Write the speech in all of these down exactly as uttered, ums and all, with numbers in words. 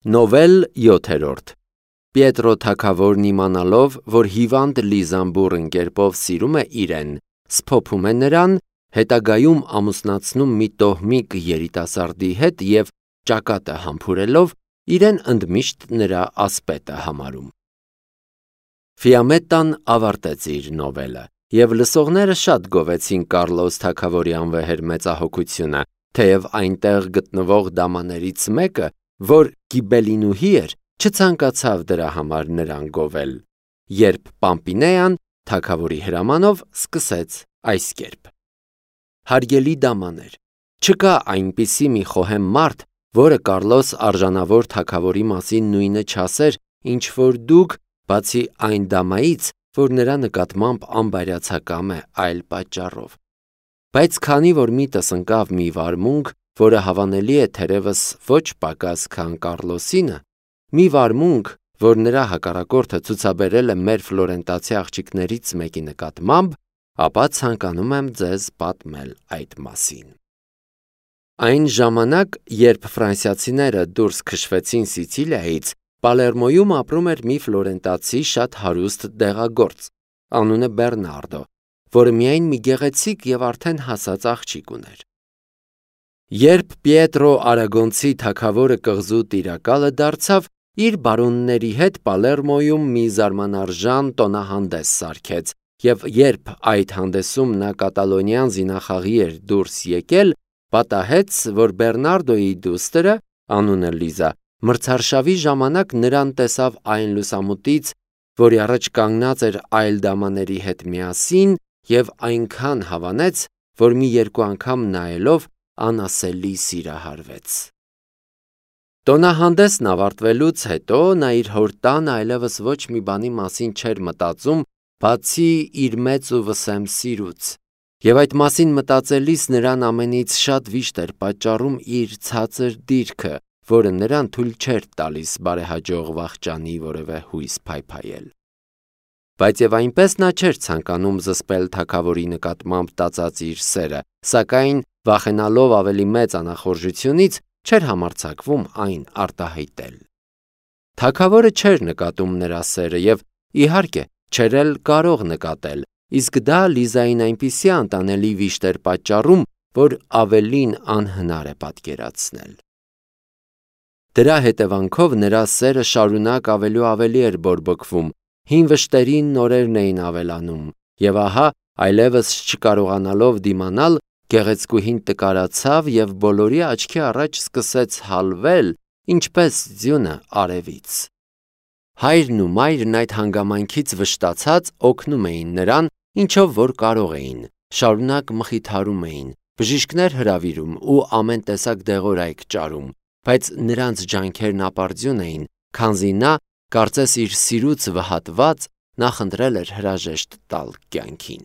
Նովել յոթերորդ Պիետրո թագավորն իմանալով, որ հիվանդ Լիզան բուռն կերպով սիրում է իրեն, սփոփում է նրան, հետագայում ամուսնացնում մի տոհմիկ երիտասարդի հետ և ճակատը համբուրելով, իրեն ընդմիշտ նրա ասպետը համարում։ Ֆիամետան ավարտեց իր նովելը, և լսողները շատ գովեցին Կառլոս թագավորի անվեհեր մեծահոգությունը, թեև այնտեղ գտնվող դամաներից մեկը, որ Գիբելինուհի էր, չցանկացավ դրա համար նրան գովել, երբ Պամպինեան թագավորի հրամանով սկսեց այս կերպ. Հարգելի դամաներ, չկա այնպիսի մի խոհեմ մարդ, որը Կառլոս արժանավոր թագավորի մասին նույնը չասեր, ինչ որ դուք, բացի այն դամայից, որ նրա նկատմամբ անբայրացակամ է այլ պատճառով։ Բայց քանի որ միտս ընկավ մի վարմունք, որը հավանելի է թերևս ոչ պակաս քան Կառլոսինը, մի վարմունք, որ նրա հակառակորդը ցուցաբերել է մեր ֆլորենտացի աղջիկներից մեկի նկատմամբ, ապա ցանկանում եմ ձեզ պատմել այդ մասին։ Այն ժամանակ, երբ ֆրանսիացիները դուրս քշվեցին Սիցիլիայից, Պալերմոյում ապրում էր մի ֆլորենտացի շատ հարուստ դեղագործ, անունը Բեռնարդո, որը միայն մի գեղեցիկ և արդեն հասած աղջիկ ուներ։ Երբ Պիետրո Արագոնցի թագավորը կղզու տիրակալը դարձավ, իր բարոնների հետ Պալերմոյում մի զարմանարժան տոնահանդես սարքեց, և երբ այդ հանդեսում նա կատալոնյան զինախաղի էր դուրս եկել, պատահեց, որ Բեռնարդոյի դուստրը, անունը Լիզա, մրցարշավի ժամանակ նրան տեսավ այն լուսամուտից, որի առաջ կանգնած էր այլ դամաների հետ միասին, և այնքան հավանեց, որ մի երկու անգամ նայելով անասելի սիրահարվեց։ Տոնահանդեսն ավարտվելուց հետո նա իր հոր տանը այլևս ոչ մի բանի մասին չէր մտածում, բացի իր մեծ ու վսեմ սիրուց, և այդ մասին մտածելիս նրան ամենից շատ վիշտ էր պատճառում իր ցածր դիրքը, որը նրան թույլ չէր տալիս բարեհաջող վախճանի որևէ հույս փայփայել։ Բայց և այնպես նա չէր ցանկանում զսպել թագավորի նկատմամբ տածած իր սերը, սակայն վախենալով ավելի մեծ անախորժությունից, չէր համարձակվում այն արտահայտել։ Թագավորը չէր նկատում նրա սերը և, իհարկե, չէր էլ կարող նկատել, իսկ դա Լիզային այնպիսի անտանելի վիշտ էր պատճառում, որ ավելին անհնար է պատկերացնել։ Դրա հետևանքով նրա սերը շարունակ ավելի ու ավելի էր բորբոքվում, հին վշտերին նորերն էին ավելանում, և ահա, այլևս չկարողանալով դիմանալ, գեղեցկուհին տկարացավ և բոլորի աչքի առաջ սկսեց հալվել, ինչպես ձյունը արևից։ Հայրն ու մայրն այդ հանգամանքից վշտացած օգնում էին նրան, ինչով որ կարող էին, շարունակ մխիթարում էին, բժիշկներ հրավիրում ու ամեն տեսակ դեղորայք ճարում, բայց նրանց ջանքերն ապարդյուն էին, քանզի նա, կարծես իր սիրուց վհատված, նախընտրել էր հրաժեշտ տալ կյանքին։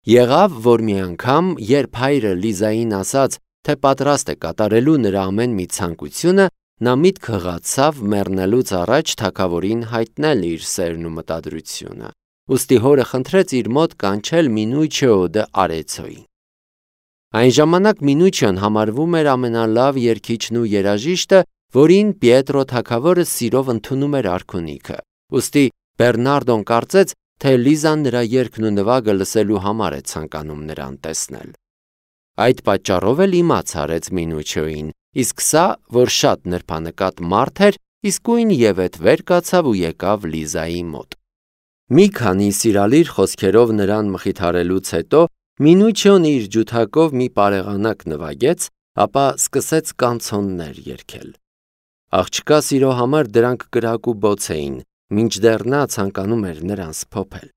Եղավ, որ մի անգամ, երբ հայրը Լիզային ասաց, թե պատրաստ է կատարելու նրա ամեն մի ցանկությունը, նա միտք հղացավ մեռնելուց առաջ թագավորին հայտնել իր սերն ու մտադրությունը, ուստի հորը խնդրեց իր մոտ կանչել Մինուչիո դը Արեցոյին։ Այն ժամանակ Մինուչիոն համարվում էր ամենալավ երգիչն ու երաժիշտը, որին Պիետրո թագավորը սիրով ընդունում էր արքունիքը, ուստի Բեռնարդոն կարծեց, թե Լիզան նրա երգն ու նվագը լսելու համար է ցանկանում նրան տեսնել։ Այդ պատճառով էլ իմաց արեց Մինուչիոին, իսկ սա, որ շատ նրբանկատ մարդ էր, իսկույն ևեթ վեր կացավ ու եկավ Լիզայի մոտ։ Մի քանի սիրալիր խոսքերով նրան մխիթարելուց հետո Մինուչիոն իր ջութակով մի պարեղանակ նվագեց, ապա սկսեց կանցոններ երգել։ Աղջկա սիրո համար դրանք կրակ ու բոց էին, մինչդեռ նա ցանկանում էր նրան սփոփել։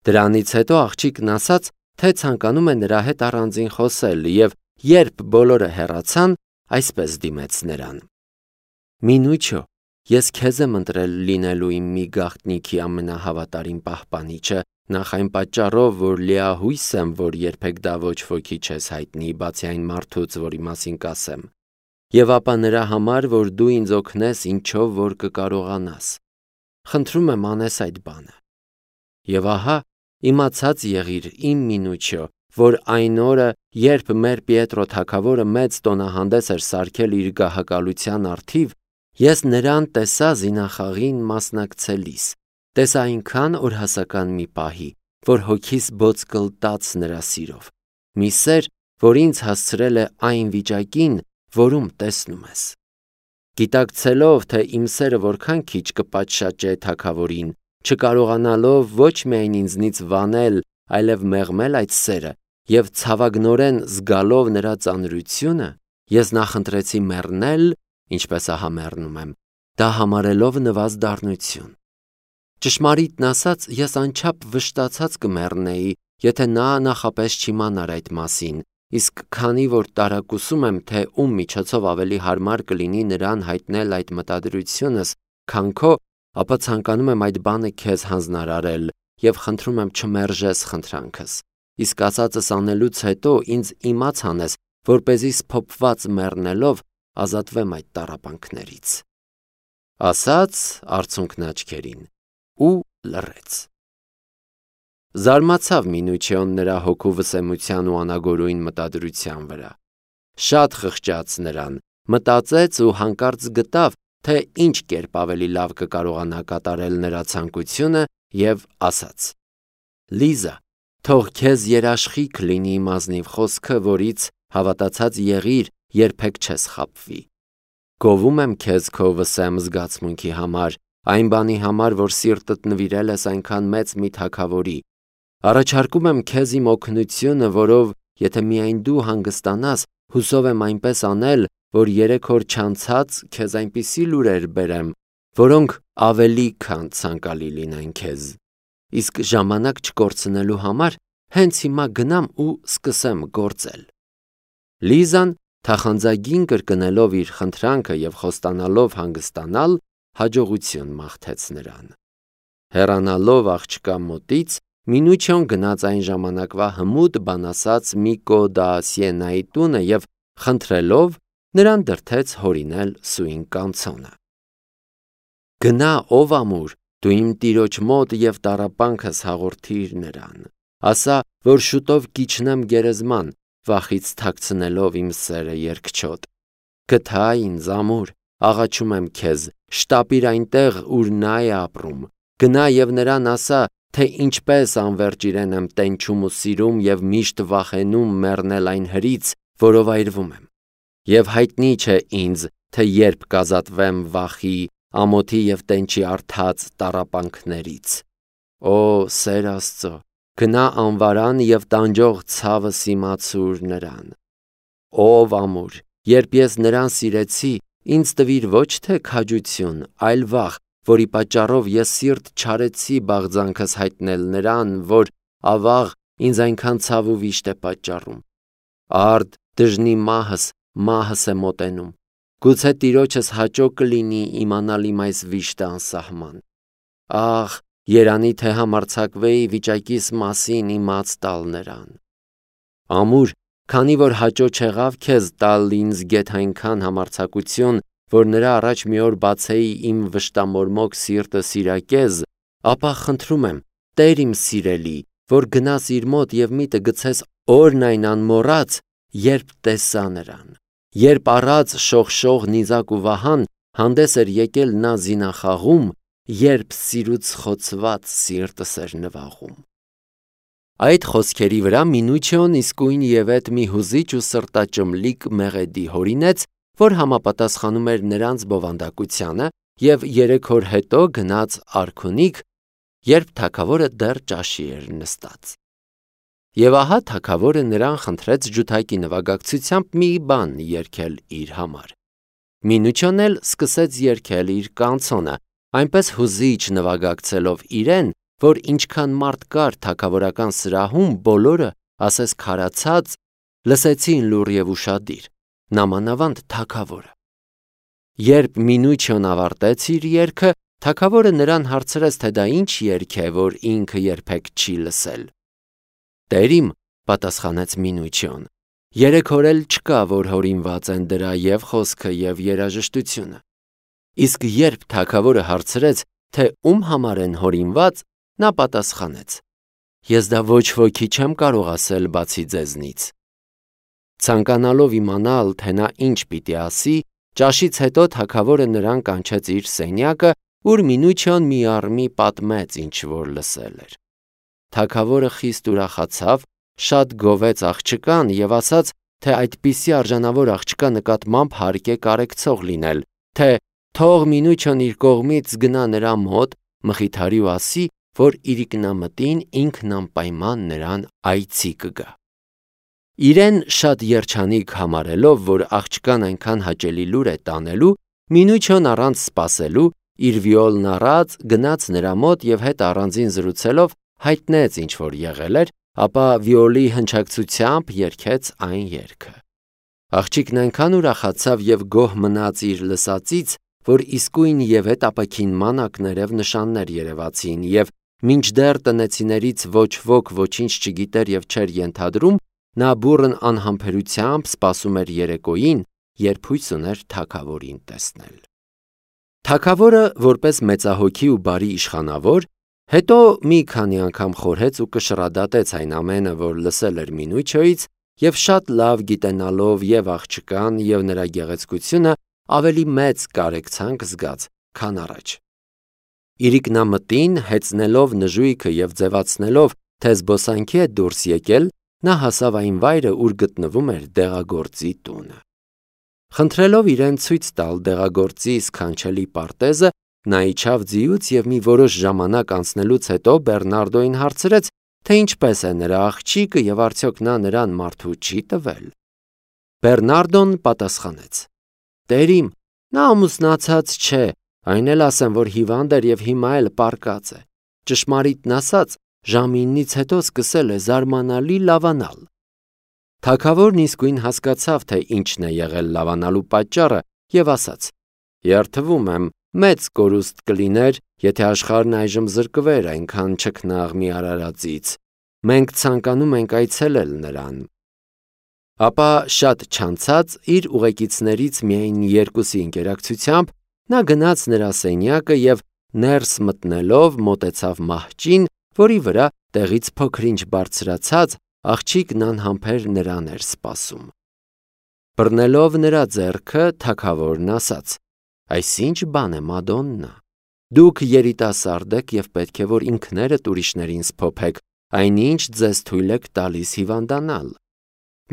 Դրանից հետո աղջիկն ասաց, թե ցանկանում է նրա հետ առանձին խոսել, և երբ բոլորը հեռացան, այսպես դիմեց նրան. Մինուչիո, ես քեզ եմ ընտրել լինելու իմ մի գաղտնիքի ամենահավատարիմ պահպանիչը, նախ այն պատճառով, որ լիահույս եմ, որ երբեք դա ոչ ոքի չես հայտնի, բացի այն մարդուց, որի մասին կասեմ, և ապա նրա համար, որ դու ինձ օգնես ինչով որ կկարողանաս։ Խնդրում եմ անես այդ բանը։ Եվ ահա, իմացած եղիր իմ Մինուչիո, որ այն օրը, երբ մեր Պիետրո թագավորը մեծ տոնահանդես էր սարքել իր գահակալության առթիվ, Ես նրան տեսա զինախաղին մասնակցելիս, տեսա այնքան օրհասական մի պահի, որ հոգիս բոց կլտաց նրա սիրով, մի սեր, որ ինձ հասցրել է այն վիճակին, որում տեսնում ես։ Գիտակցելով, թե իմ սերը որքան քիչ կպատշաճե թագավորին, չկարողանալով ոչ միայն ինձնից վանել, այլև մեղմել այդ սերը և ցավագնորեն զգալով նրա ծանրությունը, ես նախընտրեցի մեռնել, ինչպես ահա մեռնում եմ, դա համարելով նվազ դառնություն։ Ճշմարիտն ասած, ես անչափ վշտացած կմեռնեի, եթե նա նախապես չիմանար այդ մասին, իսկ քանի որ տարակուսում եմ, թե ում միջոցով ավելի հարմար կլինի նրան հայտնել այդ մտադրությունս, քան քո, ապա ցանկանում եմ այդ բանը քեզ հանձնարարել և խնդրում եմ չմերժես խնդրանքս, իսկ ասածս անելուց հետո ինձ իմաց անես, որպեսզի սփոփված մեռնելով ազատվեմ այդ տառապանքներից։ Ասաց արցունքն աչքերին ու լռեց։ Զարմացավ Մինուչիոն նրա հոգու վսեմության ու անագորույն մտադրության վրա։ Շատ խղճաց նրան, մտածեց ու հանկարծ գտավ, թե ինչ կերպ ավելի լավ կկարողանա կատարել նրա ցանկությունը և ասաց. Լիզա, թող քեզ երաշխիք լինի իմ ազնիվ խոսքը, որից հավատացած եղիր, երբեք չես խաբվի։ Գովում եմ քեզ քո վսեմ զգացմունքի համար, այն բանի համար, որ սիրտդ նվիրել ես այնքան մեծ մի թագավորի։ Առաջարկում եմ քեզ իմ օգնությունը, որով, եթե միայն դու հանգստանաս, հուսով եմ այնպես անել, որ երեք օր չանցած քեզ այնպիսի լուրեր բերեմ, որոնք ավելի քան ցանկալի լինեն քեզ։ Իսկ ժամանակ չկորցնելու համար հենց հիմա գնամ ու սկսեմ գործել։ Լիզան, թախանձագին կրկնելով իր խնդրանքը և խոստանալով հանգստանալ, հաջողություն մաղթեց նրան։ Հեռանալով աղջկա մոտից, Մինուչիոն գնաց այն ժամանակվա հմուտ բանասաց Միկո դա Սիենայի տունը և խնդրելով նրան դրդեց հորինել սույն կանցոնը։ Գնա, ով ամուր, դու իմ տիրոջ մոտ և տառապանքս հաղորդիր նրան, ասա, որ շուտով կիջնեմ գերեզման, վախից թաքցնելով իմ սերը երկչոտ։ Գթա ինձ ամուր, աղաչում եմ քեզ, շտապիր այնտեղ, ուր նա է ապրում, գնա և նրան ասա, թե ինչպես անվերջ իրեն եմ տենչում ու սիրում և միշտ վախենում մեռնել այն հրից, որով այրվում եմ։ Եվ հայտնի չէ ինձ, թե երբ կազատվեմ վախի, ամոթի և տենչի առթած տառապանքներից։ Օ, սեր Աստծո, գնա անվարան և տանջող ցավս իմացուր նրան։ Ով ամուր, երբ ես նրան սիրեցի, ինձ տվիր ոչ թե քաջություն, այլ վախ, որի պատճառով ես սիրտ չարեցի բաղձանքս հայտնել նրան, որ ավաղ ինձ այնքան ցավ ու վիշտ է պատճառում։ Արդ դժնի մահս, մահս է մոտենում։ Գուցե տիրոջս հաճո կլինի իմանալ իմ այս վիշտը անսահման։ Ախ, երանի թե համարձակվեի վիճակիս մասին իմաց տալ նրան։ Ամուր, քանի որ հաճո չեղավ քեզ տալ ինձ գեթ այնքան համարձակություն, որ նրա առաջ մի օր բացեի իմ վշտամորմոք սիրտը սիրակեզ, ապա խնդրում եմ, Տեր իմ սիրելի, որ գնաս իր մոտ և միտը գցես օրն այն անմոռաց, երբ տեսա նրան, երբ առած շողշող նիզակ ու վահան հանդես էր եկել նա զինախաղում, երբ սիրուց խոցված սիրտս էր նվաղում։ Այդ խոսքերի վրա Մինուչիոն իսկույն ևեթ մի հուզիչ ու սրտաճմլիկ մեղեդի հորինեց, որ համապատասխանում էր նրանց բովանդակությանը, և երեք օր հետո գնաց արքունիք, երբ թագավորը դեռ ճաշի էր նստած։ Եվ ահա թագավորը նրան խնդրեց ջութակի նվագակցությամբ մի բան երգել իր համար։ Մինուչիոն էլ սկսեց երգել իր կանցոնը, այնպես հուզիչ նվագակցելով իրեն, որ ինչքան մարդ կար թագավորական սրահում, բոլորը, ասես քարացած, լսեցին լուռ և ուշադիր, նամանավանդ թագավորը։ Երբ Մինուչիոն ավարտեց իր երգը, թագավորը նրան հարցրեց, թե դա ինչ երգ է, որ ինքը երբեք չի լսել։ Տեր իմ, պատասխանեց Մինուչիոն, երեք օր էլ չկա, որ հորինված են դրա և խոսքը և երաժշտությունը։ Իսկ երբ թագավորը հարցրեց, թե ում համար են հորինված, նա պատասխանեց. Ես դա ոչ ոքի չեմ կարող ասել բացի ձեզնից։ Ցանկանալով իմանալ, թե նա ինչ պիտի ասի, Ճաշից հետո թագավորը նրան կանչեց իր սենյակը, ուր Մինուչիոն մի առ մի պատմեց ինչ որ լսել էր։ Թագավորը խիստ ուրախացավ, շատ գովեց աղջկան եւ ասաց, թե այդպիսի արժանավոր աղջկա նկատմամբ հարկ է կարեկցող լինել, թե թող Մինուչիոն իր կողմից գնա նրա մոտ, մխիթարի ու ասի, որ իրիկնամտին ինքն անպայման նրան այցի կգա։ Իրեն շատ երջանիկ համարելով, որ աղջկան այնքան հաճելի լուր է տանելու, Մինուչիոն առանց սպասելու իր վիոլն առած գնաց նրա մոտ եւ հետ առանձին զրուցելով հայտնեց ինչ որ եղել էր, ապա վիոլի հնչակցությամբ երգեց այն երգը։ Աղջիկն այնքան ուրախացավ եւ գոհ մնաց իր լսածից, որ իսկույն եւ հետ ապակին մանակներև նշաններ երևացին եւ մինչդեռ տնեցիներից ոչ ոք ոչինչ չգիտեր եւ չէր ենթադրում, նա բուռն անհամբերությամբ սպասում էր երեկոյին, երբ հույս ուներ թագավորին տեսնել։ Թագավորը, որպես մեծահոգի ու բարի իշխանավոր, հետո մի քանի անգամ խորհեց ու կշռադատեց այն ամենը, որ լսել էր Մինուչիոյից, եւ շատ լավ գիտենալով եւ աղջկան եւ նրա գեղեցկությունը ավելի մեծ կարեկցանք զգաց, քան առաջ։ Իրիկնամտին հեծնելով նժույգը եւ ձևացնելով, թե զբոսանքի է դուրս եկել, նա հասավ այն վայրը, ուր գտնվում էր դեղագործի տունը։ Խնդրելով իրեն ցույց տալ դեղագործի սքանչելի պարտեզը, նա իջավ ձիուց եւ մի որոշ ժամանակ անցնելուց հետո Բեռնարդոյին հարցրեց, թե ինչպես է նրա աղջիկը եւ արդյոք նա նրան մարդու չի տվել։ Բեռնարդոն պատասխանեց. Տերիմ, նա ամուսնացած չէ, այն էլ ասեմ, որ հիվանդ էր եւ հիմա էլ պառկած է։ Ճշմարիտն ասած, ժամինից հետո սկսել է զարմանալի լավանալ։ Թագավորն իսկույն հասկացավ, թե ինչն է եղել լավանալու պատճառը եւ ասաց. Երդվում եմ, մեծ կորուստ կլիներ, եթե աշխարհն այժմ զրկվեր այնքան չքնաղ մի արարածից։ Մենք ցանկանում ենք այցելել նրան։ Ապա շատ չանցած իր ուղեկիցներից միայն երկուսի ընկերակցությամբ նա գնաց նրա սենյակը եւ ներս մտնելով մոտեցավ մահճին, որի վրա տեղից փոքրինչ բարձրացած աղջիկն անհամբեր նրան էր սպասում։ Բռնելով նրա ձեռքը, թագավորն ասաց. Այսինչ բան է, Մադոննա։ Դուք երիտասարդ եք եւ պետք է որ ինքներդ ուրիշներին սփոփեք, այնինչ ձեզ թույլ եք տալիս հիվանդանալ։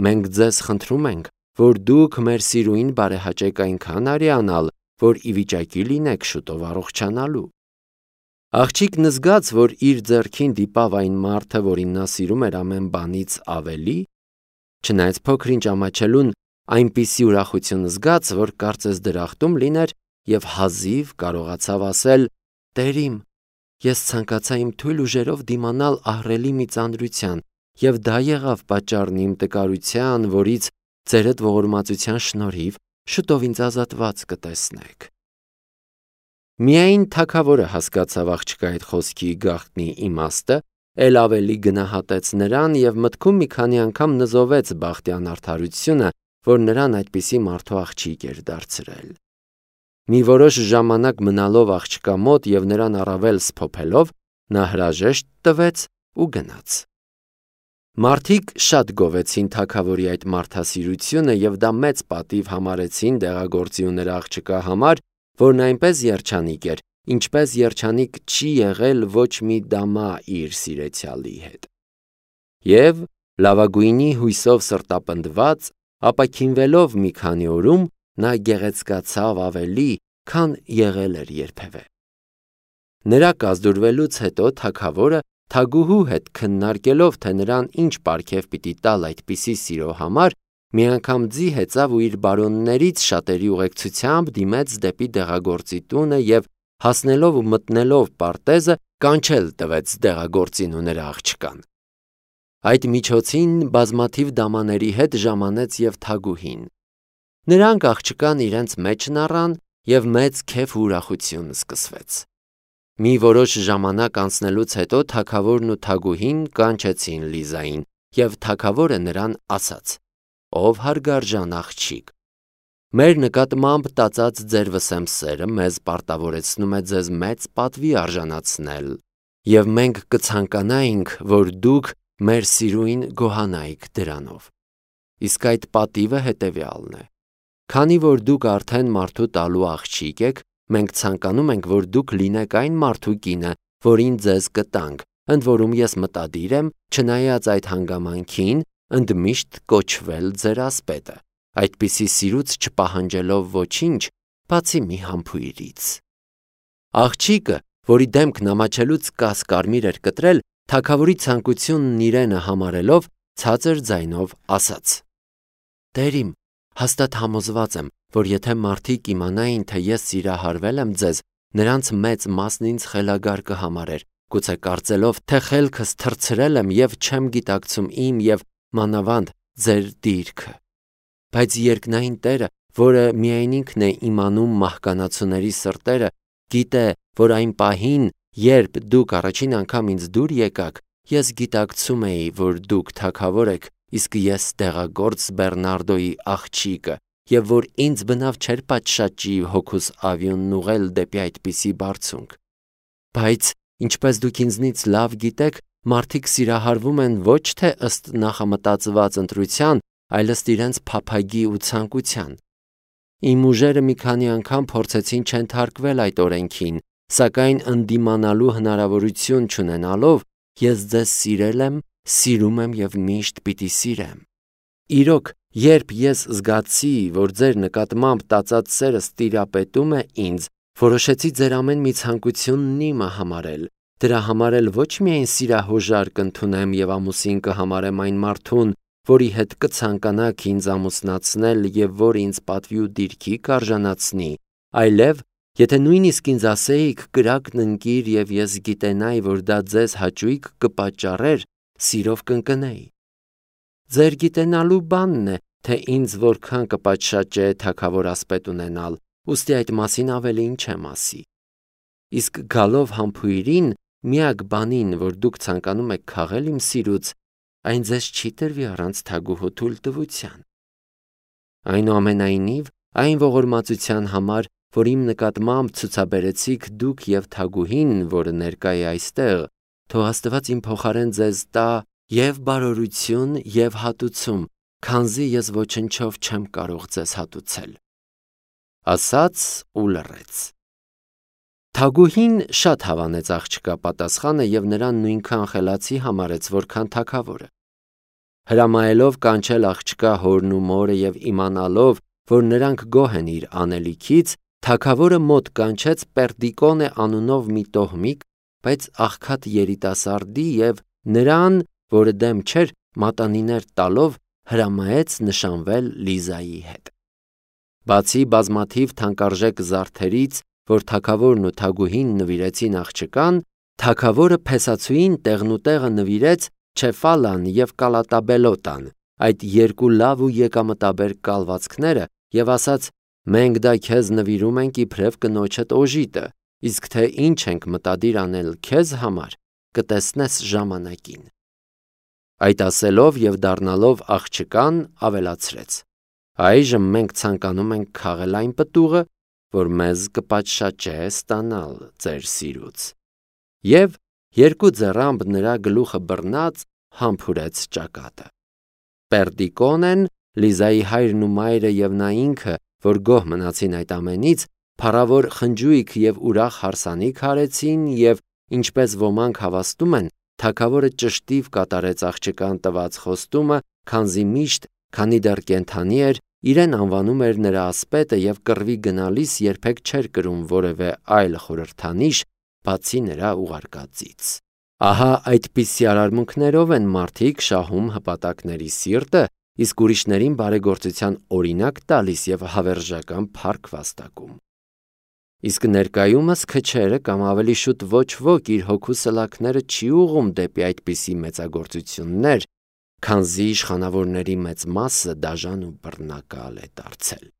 Մենք ձեզ խնդրում ենք, որ դուք մեր սիրուին բարեհաճեք այնքան արյանալ, որ ի վիճակի լինեք շուտով առողջանալու։ Աղջիկն զգաց, որ իր ձեռքին դիպավ այն մարդը, որին նա սիրում էր ամեն բանից ավելի, չնայած փոքրինչ ամաչելուն այնպիսի ուրախություն զգաց, որ կարծես դրախտում լիներ եւ հազիվ կարողացավ ասել. Տերիմ, ես ցանկացա իմ թույլ ուժերով դիմանալ ահռելի մի ծանրության, եւ դա եղավ պատճառն իմ տկարության, որից ձերդ ողորմածության շնորհիվ շուտով ինձ ազատված կտեսնեք։ Միայն թագավորը հասկացավ աղջկա այդ խոսքի գաղտնի իմաստը, ել ավելի գնահատեց նրան եւ մտքում մի քանի անգամ նզովեց բախտյան արդարությունը, որ նրան այդպիսի մարդու աղջիկ էր դարձրել։ Մի որոշ ժամանակ մնալով աղջկա մոտ եւ նրան առավել սփոփելով, նա հրաժեշտ տվեց ու գնաց։ Մարդիկ շատ գովեցին թագավորի այդ մարդասիրությունը եւ դա մեծ պատիվ համարեցին դեղագործի ու նրա աղջկա համար, որն այնպես երջանիկ էր, ինչպես երջանիկ չի եղել ոչ մի դամա իր սիրեցյալի հետ։ Եվ լավագույնի հույսով սրտապնդված, ապաքինվելով մի քանի օրում, նա գեղեցկացավ ավելի, քան եղել էր երբևէ։ Նրա կազդուրվելուց հետո թագավորը թագուհու հետ քննարկելով, թե նրան ինչ պարգև պիտի տալ այդպիսի սիրո համար, մի անգամ ձի հեծավ ու իր բարոններից շատերի ուղեկցությամբ դիմեց դեպի դեղագործի տունը եւ հասնելով ու մտնելով պարտեզը կանչել տվեց դեղագործին ու նրա աղջկան։ Այդ միջոցին բազմաթիվ դամաների հետ ժամանեց եւ թագուհին։ Նրանք աղջկան իրենց մեջն առան եւ մեծ քեֆ ու ուրախություն սկսվեց։ Մի որոշ ժամանակ անցնելուց հետո թագավորն ու թագուհին կանչեցին Լիզային եւ թագավորը նրան ասաց. Ով հարգարժան աղջիկ, մեր նկատմամբ տածած ձեր վսեմ սերը մեզ պարտավորեցնում է ձեզ մեծ պատվի արժանացնել եւ մենք կցանկանայինք, որ դուք մեր սիրուին գոհանայիք դրանով։ Իսկ այդ պատիվը հետեւյալն է. Քանի որ դուք արդեն մարդու տալու աղջիկ եք, մենք ցանկանում ենք, որ դուք լինեք այն մարդու կինը, որին ձեզ կտանք, ընդ որում ես մտադիր եմ, չնայած այդ հանգամանքին, ընդմիշտ կոչվել ձեր ասպետը, այդպիսի սիրուց չպահանջելով ոչինչ, բացի մի համբույրից։ Աղջիկը, որի դեմքն ամաչելուց կաս կարմիր էր կտրել, թագավորի ցանկությունն իրենը համարելով, ցածր ձայնով ասաց. «Տեր իմ, հաստատ համոզված եմ, որ եթե մարդիկ իմանային, թե ես սիրահարվել եմ ձեզ, նրանց մեծ մասն ինձ խելագար կհամարեր, գուցե կարծելով, թե խելքս թռցրել եմ և չեմ գիտակցում իմ և մանավանդ ձեր դիրքը։ Բայց երկնային Տերը, որը միայն ինքն է իմանում մահկանացուների սրտերը, գիտե, որ այն պահին, երբ դուք առաջին անգամ ինձ դուր եկաք, ես գիտակցում էի, որ դուք թագավոր եք, իսկ ես դեղագործ Բեռնարդոյի աղջիկը, և որ ինձ բնավ չէր պատշաճի հոգուս ավյունն ուղղել դեպի այդպիսի բարձունք։ Բայց, ինչպես դուք ինձնից լավ գիտեք, մարդիկ սիրահարվում են ոչ թե ըստ նախամտածված ընտրության, այլ ըստ իրենց փափագի ու ցանկության։ Իմ ուժերը մի քանի անգամ փորձեցին չենթարկվել այդ օրենքին, սակայն ընդդիմանալու հնարավորություն չունենալով, ես ձեզ սիրել եմ, սիրում եմ և միշտ պիտի սիրեմ։ Իրոք, երբ ես զգացի, որ ձեր նկատմամբ տածած սերս տիրապետում է ինձ, որոշեցի ձեր ամեն մի ցանկությունն իմը համարել, դրա համար էլ ոչ միայն սիրահոժար կընդունեմ և ամուսին կհամարեմ այն մարդուն, որի հետ կցանկանաք ինձ ամուսնացնել և որ ինձ պատվի ու դիրքի կարժանացնի, այլև, եթե նույնիսկ ինձ ասեիք կրակն ընկիր և ես գիտենայի, որ դա ձեզ հաճույք կպատճառեր, սիրով կընկնեի։ Ձեր գիտենալու բանն է, թե ինձ որքան կպատշաճե թագավոր ասպետ ունենալ, ուստի այդ մասին ավելին չեմ ասի։ Իսկ գալով համբույրին, միակ բանին, որ դուք ցանկանում եք քաղել իմ սիրուց, այն ձեզ չի տրվի առանց թագուհու թույլտվության։ Այնուամենայնիվ, այն ողորմածության համար, որ իմ նկատմամբ ցուցաբերեցիք դուք և թագուհին, որը ներկա է այստեղ, թող Աստված իմ փոխարեն ձեզ տա և բարօրություն և հատուցում, քանզի ես ոչնչով չեմ կարող ձեզ հատուցել։ Ասաց ու լռեց։ Թագուհին շատ հավանեց աղջկա պատասխանը և նրան նույնքան խելացի համարեց, որքան թագավորը։ Հրամայելով կանչել աղջկա հորն ու մորը և իմանալով, որ նրանք գոհ են իր անելիքից, թագավորը մոտ կանչեց Պերդիկոնե անունով մի տոհմիկ, բայց աղքատ երիտասարդի և նրան, որը դեմ չէր, մատանիներ տալով, հրամայեց նշանվել Լիզայի հետ։ Բացի բազմաթիվ թանկարժեք զարդերից, որ թագավորն ու թագուհին նվիրեցին աղջկան, թագավորը փեսացուին տեղնուտեղը նվիրեց Չեֆալան և Կալատաբելոտան, այդ երկու լավ ու եկամտաբեր կալվածքները, և ասաց. «Մենք դա քեզ նվիրում ենք իբրև կնոջդ օժիտը, իսկ թե ինչ ենք մտադիր անել քեզ համար, կտեսնես ժամանակին»։ Այդ ասելով և դառնալով աղջկան, ավելացրեց. «Այժմ մենք ցանկանում ենք քաղել այն պտուղը, որ մեզ կպատշաճե ստանալ ձեր սիրուց»։ Եվ երկու ձեռամբ նրա գլուխը բռնած համբուրեց ճակատը։ Պերդիկոնեն, Լիզայի հայրն ու մայրը և նա ինքը, որ գոհ մնացին այդ ամենից, փառավոր խնջույք և ուրախ հարսանիք արեցին և, ինչպես ոմանք հավաստում են, թագավորը ճշտիվ կատարեց աղջկան տված խոստումը, քանզի միշտ, քանի դեռ կենդանի էր, իրեն անվանում էր նրա ասպետը և կռվի գնալիս երբեք չէր կրում որևէ այլ խորհրդանիշ, բացի նրա ուղարկածից։ Ահա այդպիսի արարմունքներով են մարդիկ շահում հպատակների սիրտը, իսկ ուրիշներին բարեգործության օրինակ տալիս և հավերժական փառք վաստակում։ Իսկ ներկայումս քչերը կամ ավելի շուտ ոչ ոք իր հոգու սլաքները չի ուղղում դեպի այդպիսի մեծագործություններ, քանզի իշխանավորների մեծ մասը դաժան ու բռնակալ է դարձել։